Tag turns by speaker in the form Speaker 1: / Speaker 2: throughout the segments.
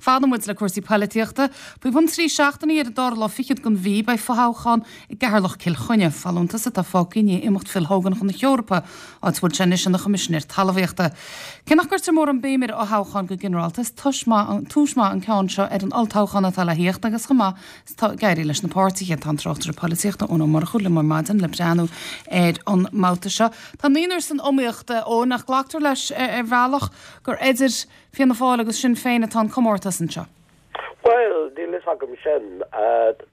Speaker 1: Fanann muid le cúrsaí poilitíochta. Faoi bhun 3 seachtainí ar an dara lá fichead den mhí beidh fothoghchán i gCeatharlach-Cill Chainnigh, folúntas atá fágtha i ndiaidh imeacht Phil Hogan chun na hEorpa, áit a bhfuil sé anois ina Choimisinéir Talmhaíochta. Cé nach gcuirtear mórán béim ar fhothoghcháin go ginearálta, is tomhas maith an ceann seo ar an olltoghchán atá le thíocht agus chomh maith is atá ag éirí leis na páirtithe. Tá an tráchtaire polaitíochta Eoin Ó Murchú liom ar maidin le breathnú ar an mbabhta seo. Tá naonúr san iomaíocht, Eoin, ach glactar leis ar bhealach gur idir Fianna Fáil agus Sinn Féin atá an comórtas anseo.
Speaker 2: Bhuel, níl fhios agam sin.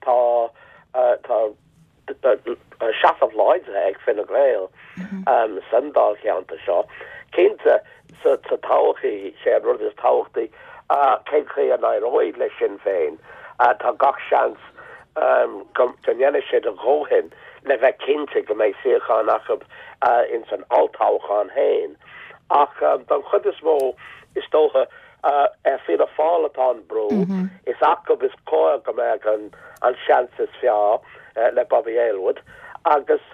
Speaker 2: Tá, tá seasamh láidir ag Fine Gael san dáilcheantar seo. Cinnte, sa todhchaí, sé an rud is tábhachtaí cén chaoi a n-éireoidh le Sinn Féin. Tá gach seans go ndéanfaidh siad a dhóthain le bheith cinnte go mbeidh suíochán acu ins an olltoghchán féin. Ach don chuid is mó, is dócha, Ar Fianna Fáil atá an brú. Is acu is cóir go mbeadh an seans is fearr le Bobby Aylward agus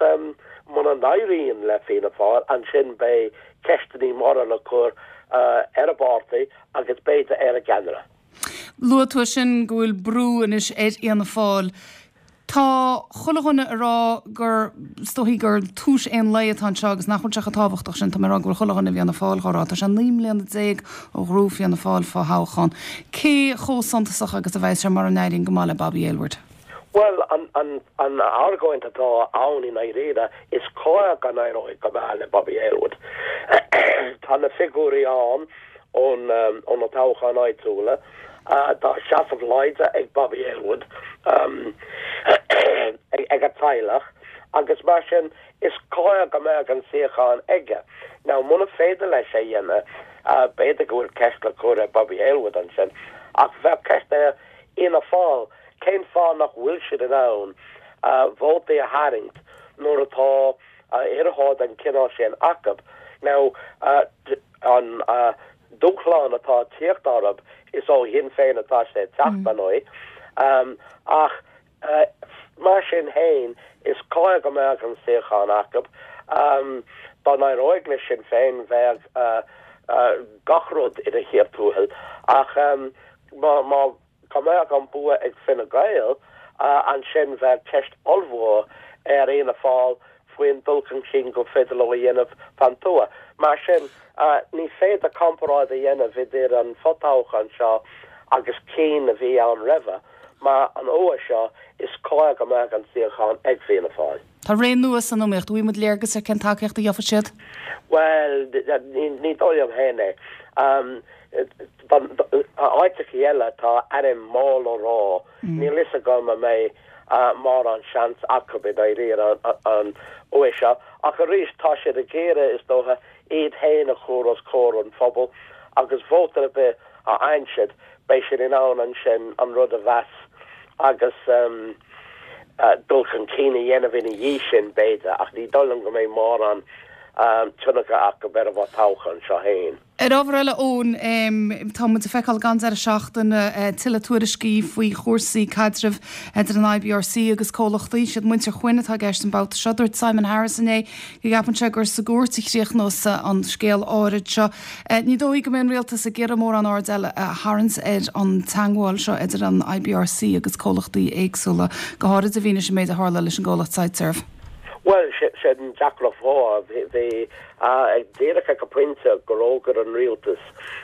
Speaker 2: muna n-éiríonn le Fianna Fáil ansin beidh ceisteanna móra le cur ar an bpáirtí agus b'fhéidir ar a gceannaire.
Speaker 1: Luaigh tú ansin go bhfuil brú anois ar Fhianna Fáil. Tá chuile dhuine ag rá gur, is dóichí gur tús aon lae atá anseo agus nach bhfuil sé chomh tábhachtach sin. Tá mé ag rá go bhfuil chuile dhuine i bhFianna Fáil dhá rá. Tá sé 19 mbliana ó ghnóthaigh Fianna Fáil fo-thoghchán. Cé chomh suntasach agus a bheas sé mura n-éiríonn go maith le Bobby Aylward?
Speaker 2: Bhuel, an argóint atá ann i ndáiríre, is cóir go n-éireoidh go maith le Bobby Aylward. Tá na figiúirí ann ó na toghcháin áitiúla. Tá seasamh láidir ag Bobby Aylward, ag a teaghlach, agus mar sin is cóir go mbeadh an suíochán aige. Now muna féidir leis é a dhéanamh, b'fhéidir go bhfuil ceist le cur ar Bobby Aylward ansin, ach bheadh ceist ar Fhianna Fáil cén fáth nach bhfuil siad in ann vótaí a tharraingt nuair atá iarrthóir den chineál sin acu. Now an dúshlán atá ag tíocht orthu, is ó Shinn Féin atá sé ag teacht, ar ndóigh, ach mar sin féin, is cóir go mbeadh an suíochán acu. Dá n-éireoidh le Sinn Féin, bheadh gach rud ina chíor tuathail, ach má Dá mbeadh an bua ag Fine Gael, ansin bheadh ceist ollmhór ar Fhianna Fáil faoin dul chun cinn gur féidir leo a dhéanamh fan tuath. Mar sin, ní féidir comparáid a dhéanamh idir an fo-toghchán seo agus cinn a bhí ann roimhe, mar an uair seo is cóir go mbeadh an suíochán ag Fianna Fáil.
Speaker 1: Tá ré nua san iomaíocht. An bhfaighidh muid léargas ar cén tacaíocht a gheobhaidh siad?
Speaker 2: Bhuel, ní dóigh liom féin é. Áiteachaí eile tá ainm mór le rá. Níl fhios agam an mbeidh mórán seans acu i ndáiríre an uair seo. Ach arís tá siad ag iarraidh, is dócha, iad féin a chur os comhair an phobail agus vóta ar bith a fhaigheann siad, beidh siad in ann ansin an rud a mheas agus dul chun cinn a dhéanamh ina dhiaidh sin, b'fhéidir. Ach ní dóigh liom go mbeidh mórán tionchar acu ar an bhfo-toghchán seo féin.
Speaker 1: Ar ábhar eile, Eoin, tá muid ag feiceáil gach deireadh seachtaine tuilleadh tuairiscí faoi chúrsaí caidrimh idir an IBRC agus comhlachtaí. Siad muintir Quinn atá i gceist an babhta seo. Dúirt Simon Harris inné go gceapann sé gur sa gcúirt a chríochnós an scéal áirid seo. Ní dóigh go mbeidh an rialtas ag iarraidh mórán aird eile a tharraingt ar an teagmháil seo idir an IBRC agus comhlachtaí éagsúla, go háirid i bhfianaise an méid a tharla leis an gcomhlacht Siteserv.
Speaker 2: Bhuel, sin deacracht mhór. Bhí díreach ag an bpointe gur fhógair an rialtas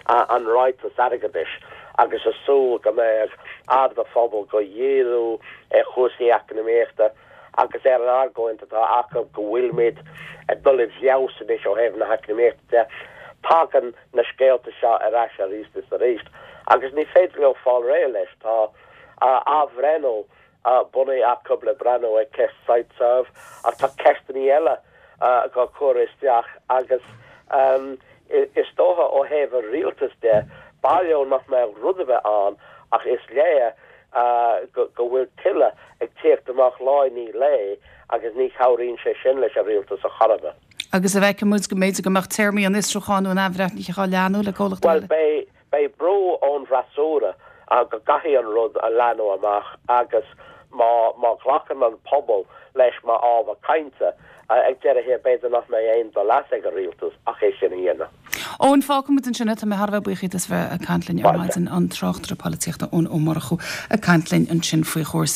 Speaker 2: an ráiteas airgeadais agus ag súil go mbeadh aird an phobail á dhíriú ar chúrsaí eacnamaíochta agus ar an argóint atá acu go bhfuilimid ag dul i bhfeabhas anois ó thaobh na heacnamaíochta de. Tagann na scéalta seo ar ais arís is arís agus ní féidir leo fáil réidh leis. Tá athbhreithniú bunaithe acu le breathnú ar cheist Siteserv ach tá ceisteanna eile á cur isteach agus is dócha ó thaobh an rialtais de, b'fhearr leo nach mbeadh rud ar bith ann ach is léir go bhfuil tuilleadh ag tíocht amach lá i ndiaidh lae agus ní chabhraíonn sé sin leis an rialtas ar chor ar bith.
Speaker 1: Agus an bhfeicfidh muid go mb'fhéidir go mbeadh téarmaí an fhiosrúcháin nó an athbhreithnithe á leathnú le comhlachtaí
Speaker 2: eile? Bhuel, beidh Beidh brú ón bhfreasúra go gcaithfidh an rud a leathnú amach agus. Má má ghlacann an pobal leis mar ábhar cainte, ag deireadh thiar b'fhéidir nach mbeidh aon dul as ag an rialtas ach é sin a dhéanamh.
Speaker 1: Eoin, fágfaidh muid ansin é. Tá mé thar a bheith buíoch díot as bheith ag caint linn ar maidin, an tráchtaire polaitíochta Eoin Ó Murchú ag caint linn ansin faoi chúrsaí.